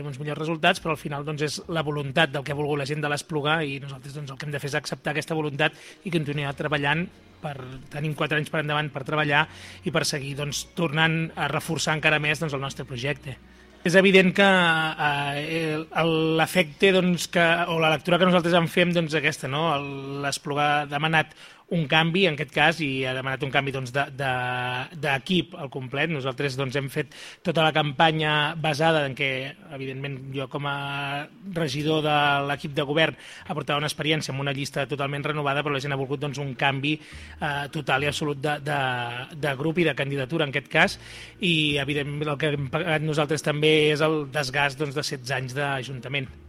uns millors resultats, però al final doncs, és la voluntat del que ha volgut la gent de l'Esplugar i nosaltres doncs, el que hem de fer és acceptar aquesta voluntat i continuar treballant. Tenim 4 anys per endavant per treballar i per seguir doncs, tornant a reforçar encara més doncs, el nostre projecte. És evident que l'efecte doncs, o la lectura que nosaltres en fem doncs, aquesta, no? L'Esplugar ha demanat un canvi, en aquest cas, i ha demanat un canvi doncs, d'equip al complet. Nosaltres doncs, hem fet tota la campanya basada en què, evidentment, jo com a regidor de l'equip de govern aportava una experiència amb una llista totalment renovada, però la gent ha volgut doncs, un canvi total i absolut de grup i de candidatura, en aquest cas, i, evidentment, el que hem pagat nosaltres també és el desgast doncs, de 16 anys d'Ajuntament.